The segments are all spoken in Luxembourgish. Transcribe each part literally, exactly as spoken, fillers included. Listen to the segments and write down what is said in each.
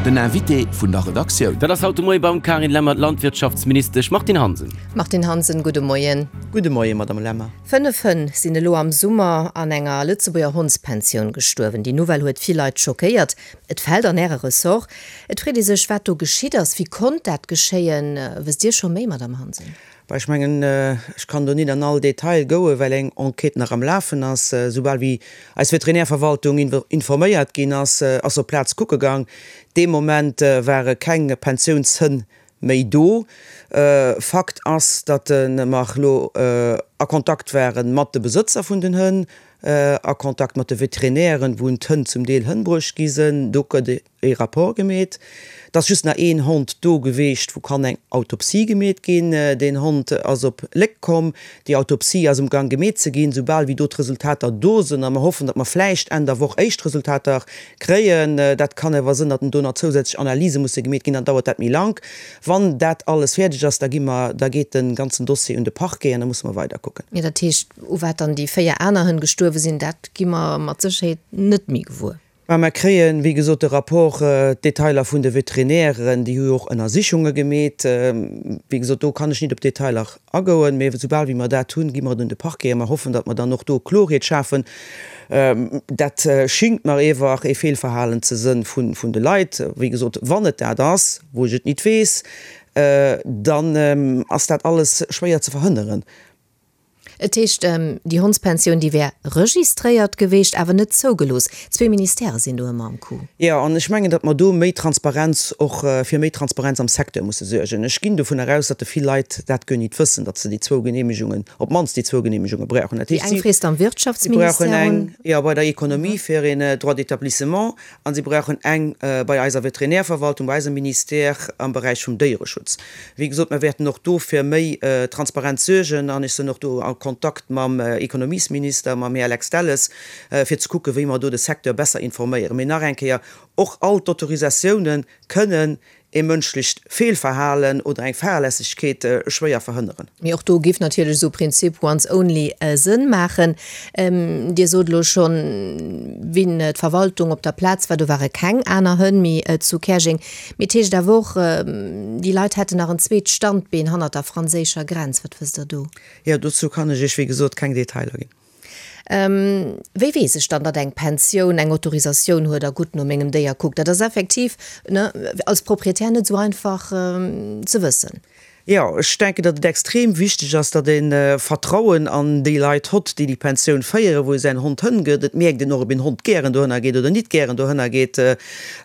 Den Invité vun der Redaktioun. Dat ass haut de Moie beim Carine Lemmer d'Landwirtschaftsministesch Martine Hansen. Martine Hansen, gudde Moien. Gudde Moien, Madame Lemmer. Fënnef Hënn sinn elo am Summer an enger Lëtzebuerger Hondspensioun gestuerwen. Déi Nouvelle huet vill Leit schockéiert. Et fält an Äre Ressort. Et freet ee sech, wat do geschitt ass. Wéi konnt dat geschéien? Wësst Dir scho méi, Madame Hansen? Bah, ech mengen, ech kann do nit an all Detail goen, well eng Enquête nach am Lafen ass. Soubal wéi eis Veterinärverwaltung informéiert ginn ass, ass se op d'Plaz kucke gang. Dee Moment ware keng Pensiounshënn méi do. Fakt ass, datt mer elo a Kontakt ware mat de Besëtzer vun den Hënn, a Kontakt mat de Veterinären, wou d'Hënn zum Deel hënbruecht gi sinn. Do gëtt ee Rapport gemeet. Et ass just nach een Hond do geweecht, wou kann eng Autopsie gemeet ginn. Deen Hond ass op Léck komm. Déi Autopsie ass um Gang gemeet ze ginn. Soubal wéi do d'Resultater do sinn, a mer hoffen, datt mer vläicht Enn der Woch éischt Resultater kréien, dat kann awer sinn, datt do nach zousätzlech Analyse musse gemeet ginn, dann dauert dat méi lank. Wann dat alles fäerdeg ass, da gi mer, da geet de ganzen Dossier un de Parquet an da musse mer weiderkucken. Jo, dat heescht, u wat dann déi véier aner Hënn gestuerwe sinn, dat gi mer mat Sécherheet net méi gewuer. Mä mer kréien, wéi gesot, de Rapport, d'Detailer vun de Veterinären, déi hu jo och Ënnersichunge gemeet. Wéi gesot, do kann ech nit op d'Detailer agoen, mä soubal wéi mer dat hunn, gi mer et un de Parquet a mer hoffen, datt mer dann och do Klorheet schafen. Dat schingt mer ewer ee Feelverhalen ze sënn vun de Leit. Wéi gesot, wann et dat ass, wou ech et nit weess, dann ass dat alles schwéier ze verhënneren. Et heescht, déi Hondspensioun, déi wär registréiert geweecht, awer net zougelooss. Zwee Ministèrë sinn do ëmmer am Coup. Jo, an ech mengen, datt mer do méi Transparenz och, fir méi Transparenz am Secteur musse suergen. Ech ginn dovunner aus, datt de vill Leit dat guer nit wëssen, datt se déi zwou Genehmegungen, op d'mannst déi zwou Genehmegunge brauchen. Dat Déi heescht, eng si freest am brauchen Wirtschaftsministère eng, un. jo, bei der Économie fir een Droit d'établissement a si brauchen eng bei eiser Veterinärverwaltung, bei eisem Ministère am Beräich vum Déiereschutz. Wéi gesot, mer wäerten och do fir méi Transparenz suergen an ech sinn och do a Kontakt mam Ekonomiesminister, mam Här Lex Delles, fir ze kucken, wéi mer do de Secteur besser informéieren. Mee nach eng Kéier, och all d'Autorisatiounen kënnen ee mënschlecht Feelverhalen oder eng Fahrlässegkeet schwéier verhënneren. Mee och do géif natierlech esou e Prinzip once only Sënn maachen. Dir sot elo schonn, wéi d'Verwaltung op der Plaz war, do ware keng aner Hënn méi zu Käerjeng. Mee et heescht awer och, déi Leit hätten nach en zweet Standbeen hannert der franséischer Grenz. Wat wësst Der do? Jo, dozou kann ech Iech, wéi gesot, keng Detailer ginn. Wéi weess ech dann, datt eng Pensioun eng Autorisatioun huet a gutt no mengem Déier kuckt? Dat ass effektiv, ne, als Proprietär net esou einfach ze wëssen. Jo, ech denken, datt et extrem wichteg ass, datt ee Vertrauen an déi Leit hott, déi déi Pensioun féieren, wou ee säin Hond hëngëtt. Et mierkt een och, ob een Hond gären dohënner geet oder nit gären dohënner geet.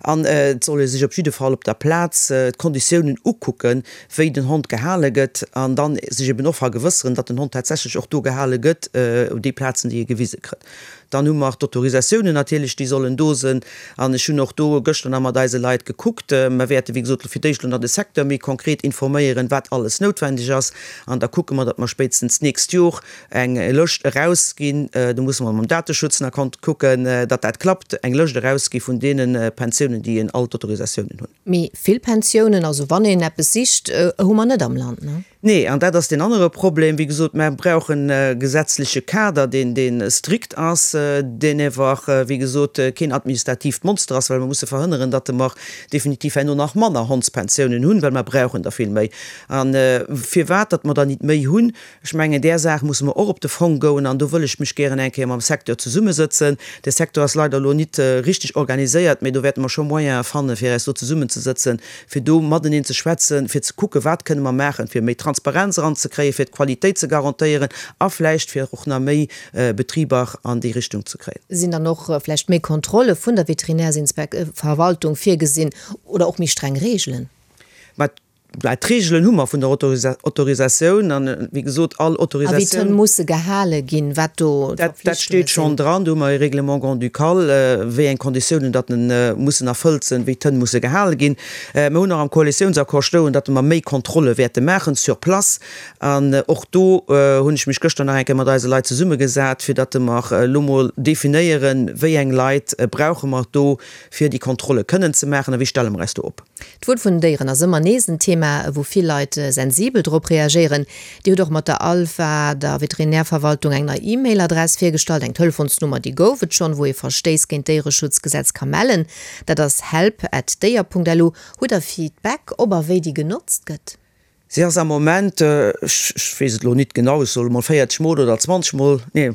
An et soll ee sech op jidde Fall op der Plaz d'Konditiounen ukucken, wéi den Hond gehale gëtt, an dann sech eben och vergewësseren, datt den Hond tatsächlech och do gehale gëtt, op déi Plazen, déi e gewise kritt. Dann hu mer d'Autorisatiounen natierlech, déi sollen do sinn. An ech hunn och do gëschter nach mat eise Leit gekuckt. Mer wäerte wéi gesot fir d'éischt elo nach de Secteur méi konkret informéieren, wat alles noutwendeg ass. An da kucke mer, datt mer spéitstens d'nächst Jor eng Lëscht erausginn, do musse mer mam Dateschutz nach kucken, datt dat klappt, eng Lëscht erausgi vun deene Pensiounen, déi all d'Autorisatiounen hunn. Mee vill Pensiounen, also wann een eppes sicht, hu mer net am Land, ne? Nee, an dat ass deen anere Problem. Wéi gesot, mer brauchen e gesetzleche Kader, deen, dee strikt ass, deen ewer, wéi gesot, keen administratiivt Monster ass, well mer musse verhënneren, datt mer definitiv herno nach manner Hondspensiounen hunn, well mer brauchen der vill méi. A firwat datt mer der nit méi hunn, ech mengen, där Saach musse mer och op de Fong goen an do wëll ech mech gären eng Kéier mam Secteur zesummesëtzen. De Secteur ass leider elo nit richteg organiséiert, mä do wäerte mer scho Moyene fannen, fir eis do zesummenzesëtzen, fir do mateneen ze schwätzen, fir ze kucken, wat kënne mer maachen, fir méi Transparenz eranzekréien, fir d'Qualitéit ze garantéieren a vläicht fir och nach méi Betriber an déi Richtung ze kréien. Sinn dann och vläicht méi Kontrolle vun der Veterinärsinspek-Verwaltung virgesinn oder och méi streng Reegelen? Mä d'Reegelen hu mer vun der Autorisatioun an, wéi gesot, all Autorisatioun. A wéi d'Hënn musse gehale ginn, wat do d'Verpflichtunge sinn. Dat steet schonn dran. Do hu mer e Règlement grand-ducal, wéi eng Konditiounen datt mussen erfëllt sinn, wéi d'Hënn musse gehale ginn. Mer hunn och am Koalitiounsaccord stoen, datt mer méi Kontrolle wäerte maachen sur place. An och do hunn ech mech gëschter nach eng Kéier mat eise Leit zesummegesat, fir datt mer elo mol definéieren, wéi eng Leit brauche mer do, fir déi Kontrolle kënnen ze maachen a wéi stelle mer eis do op. D'Wuel vun den Déieren ass ëmmer nees en Thema. Thema, wou vill Leit sensibel drop reagéieren. Dir hutt och mat der ALVA, der Veterinärverwaltung, eng nei E-Mail-Adress virgestallt. Eng Telefonsnummer, déi gouf et schonn, wou ee Verstéiss géint d'Déiereschutzgesetz ka mellen. Dat ass help at déier Punkt lu. Hutt Der Feedback, ob a wéi déi genotzt gëtt? Si ass am Moment, ech weess et elo nit genau, ech soe mol véierzeg Mol oder zwanzeg Mol, nee,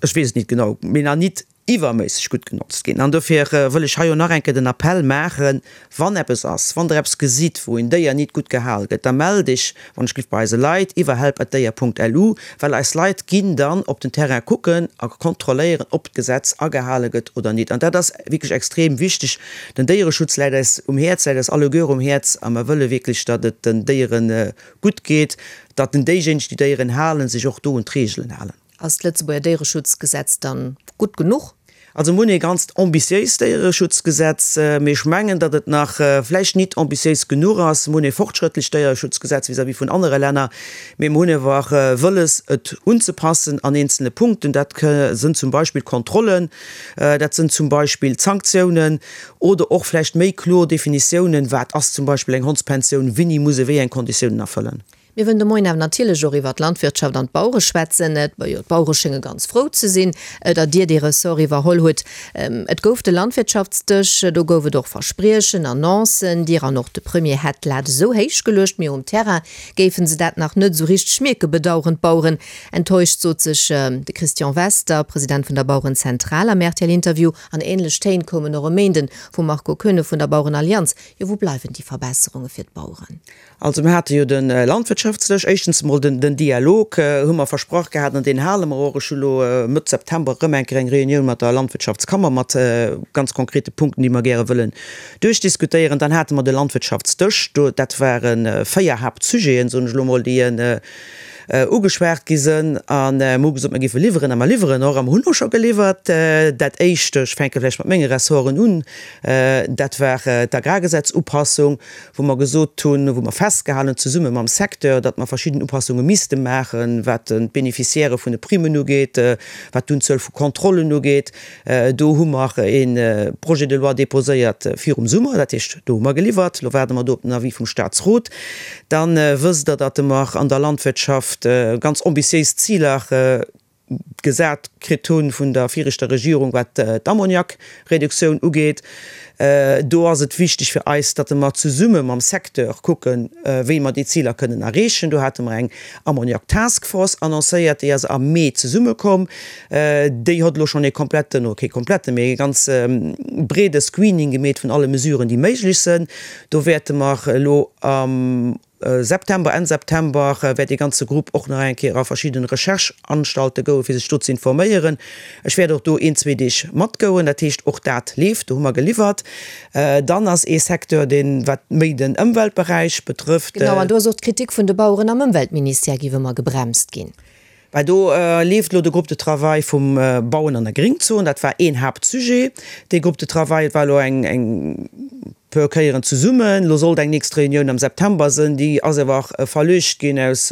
ech weess et nit genau, mee nach nit iwwerméisseg gutt genotzt ginn. An dofir wëll ech hei och nach eng Kéier den Appell maachen, Wann eppes ass, wann Der eppes gesitt, wou en Déier nit gutt gehal gëtt, da mellt Iech, wann ech giff, bei eise Leit iwwer help at déier Punkt lu, well eis Leit ginn dann op den Terrain kucken a kontrolléieren, ob d'Gesetz agehale gëtt oder nit. An dat ass wierklech extrem wichteg. Den Déiereschutz läit eis um Häerz, läit eis alleguer um Häerz a mer wëlle wierklech, datt et den Déiere gutt geet, datt den déijéineg, déi Déieren halen, sech och do un d'Reegelen halen. Ass d'Lëtzebuerger Déiereschutzgesetz dann gutt genuch? Also mir hunn ee ganzt ambitiéist Déiereschutzgesetz, mee ech mengen, datt et nach vläicht nit ambitiéis genuch ass. Mir hunn ee fortschrëttlecht Déiereschutzgesetz vis-à-vis vun anere Länner, mee mir hunn awer och wëlles, et unzepassen an eenzele Punkten. Dat sënn zum Beispill d'Kontrollen, dat sënn zum Beispill d'Sanktiounen oder och vläicht méi kloer Definitiounen, wat ass zum Beispill eng Hondspensioun, wéini muss e wéi eng Konditiounen erfëllen. Mir wëllen de Moien awer natierlech och iwwer d'Landwirtschaft an d'Bauere schwätzen. Jo, d'Bauere schénge ganz frou ze sinn, datt Dir dee Ressort iwwerholl hutt. Et gouf de Landwirtschaftsdësch, do gouf et och Verspriechen, Annoncen. Dir an och de Premier hätt d'Lat esou héich geluecht, mee um Terrain géife se dat nach net esou richteg mierken, bedaueren d'Baueren. Enttäuscht sot sech de Christian Wester, President vun der Bauerenzentral am R T L-Interview. An änlech Téin koumen och e Méinden vum Marco Koeune vun der Bauerenallianz. Jo, wou bleiwen déi Verbesserunge fir d'Baueren? Also mir hate jo de Landwirtschaftsdësch, éischtens emol den den Dialog hu mer versprach gehat an deen hale mer och. Ech hu lo Mëtt September erëm eng Kéier eng Reunioun mat der Landwirtschaftskammer mat ganz konkrete Punkten, déi mer gäre wëllen duerchdiskutéieren. Dann hate mer de Landwirtschaftsdësch, do dat ware véier Haaptsujeten, soen ech elo mol, déi ugeschwat gi sënn. A mer hu gesot, mer géife liwweren a mer liwweren och a mer hunn och scho geliwwert. Dat Éischt, ech fänke vläicht mat menge Ressorten un, dat war d'Agrargesetz-Upassung, wou mer gesot hunn, wou mer festgehalen hunn zesumme mam Secteur, datt mer verschidden Upassunge misste maachen, wat d'Beneficiairë vun de Primmen ugeet, wat d'Unzuel vu Kontrollen ugeet. Do hu mer e Projet de loi déposéiert virum Summer, dat heescht, do hu mer geliwwert. Elo waarde mer do op den Avis vum Statsrot. Da wësst Der, datt mer an der Landwirtschaft ganz ambitiéis Ziler gesat kritt hu vun der viregter Regierung, wat d'Ammoniakreduktioun ugeet. Do ass et wichteg fir eis, datt mer zesumme mam Secteur kucken, wéi mer déi Ziler kënnen erreechen. Do hate mer eng Ammoniak-Taskforce annoncéiert, déi ass am Mee zesummekomm. Déi huet elo schonn ee kompletten, oder kee kompletten, mee ee ganz breede Screening gemeet vun alle Mesuren, déi méiglech sënn. Do wäerte mer elo am September, Enn September wäert dee ganze Grupp och nach eng Kéier a verschidden Recherche-Anstalte goen, fir sech do ze informéieren. Ech wäert och do een, zwee Deeg matgoen. Dat heescht, och dat leeft, do hu mer geliwwert. Dann ass ee Secteur, deen, wat méi den Ëmweltberäich betrëfft. Genau, an do ass och d'Kritik vun de Baueren am Ëmweltministère, géif ëmmer gebremst ginn. Well do leeft elo de Groupe de travail vum Bauen an der Gringzon. Dat war een Haaptsujet. Dee Groupe de travail war elo eng eng puer Kéieren zesummen. Elo sollt eng nächst Reunioun am September sënn. Déi ass awer verluecht ginn aus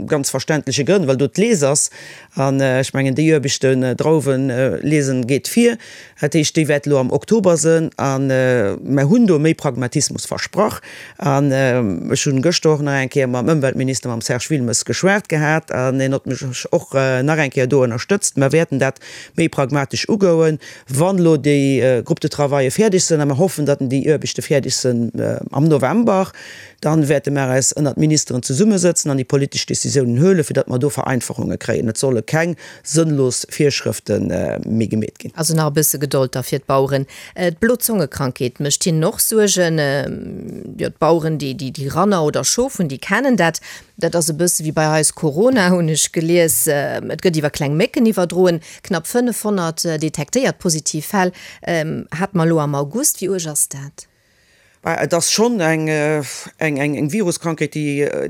ganz verständleche Grënn, well do d'Lies ass. An ech mengen, déi Aarbechten, Drauwen liesen, geet vir. Dat heescht, déi wäert elo am Oktober sënn. A mer hunn do méi Pragmatismus versprach. An ech hunn gëschter och nach eng Kéier mam Ëmweltminister, mam Serge Wilmes, geschwat gehat an hien huet mech och nach eng Kéier do ënnerstëtzt. Mer wäerten dat méi pragmatesch ugoen, wann elo déi Groupes de travaille fäerdeg sënn, a mer hoffen, datt déi Aarbechte fäerdeg sënn am November, dann wäerte mer eis ënnert Ministeren zesummesëtzen an déi politesch Décisiounen huelen, fir datt mer do Vereinfachunge kréien. Et solle keng sënnlos Virschrëfte méi gemeet ginn. Also nach e bësse Gedold da fir d'Baueren. D'Blozongekrankheet mécht hinnen och Suergen. Jo, d'Baueren, déi déi Ranner oder Schof hunn, déi kennen dat. Dat ass e bësse wéi bei eis Corona, hunn ech gelies. Et gëtt iwwer kleng Mécken iwwerdroen. Knapp fënnefhonnert detektéiert positiv Fäll hate mer elo am August. Wéi uerg ass dat? Et ass schonn eng Viruskrankheet,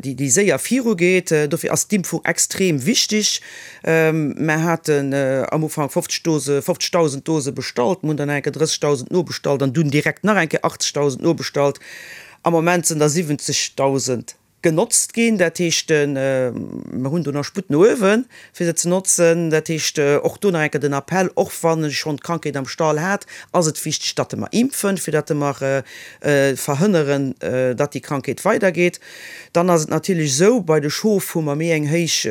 déi séier virugeet. Dofir ass d'Impfung extrem wichteg. Mer haten am Ufank fofzeg Dose, fofzegdausend Dose bestallt, mer hunn dann eng Kéier drëssegdausend nobestallt an dunn direkt nach eng Kéier achtzegdausend nobestallt. Am Moment sinn der siwwenzegdausend genotzt ginn. Dat heescht, mer hunn do nach Sputt no uewen, fir se ze notzen. Dat heescht, och do nach eng Kéier den Appell, och wann ech schonn d'Krankheet am Stall hat, ass et wichteg, datt mer impfen, fir datt mer verhënneren, datt déi Krankheet weidergeet. Dann ass et natierlech esou, bei de Schof hu mer méi eng héich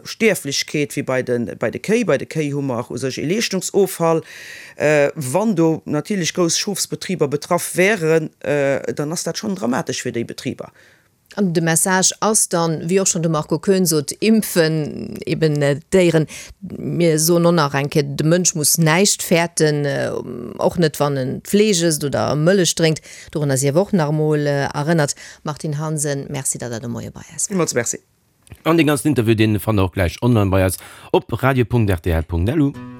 Stierflechkeet wéi bei de bei de Kéi. Bei de Kéi hu mer u sech ee Leeschtungsoffall. Wann do natierlech grouss Schofsbetriber betraff wären, dann ass dat schonn dramatesch fir déi Betriber. An de Message ass dann, wéi och schonn de Marco Koen sot, impfen eben d'Déieren. Mir soen och nach eng Kéier, de Mënsch muss näischt fäerten, och net wann en Fleesch ësst oder Mëllech drénkt. Dorunner sief och nach emol erënnert. Martine Hansen, Merci, datt Der de Moie bei eis waart. Villmools Merci. An dee ganzen Interview, deen fannt der och gläich online bei eis op radio.rtl.lu.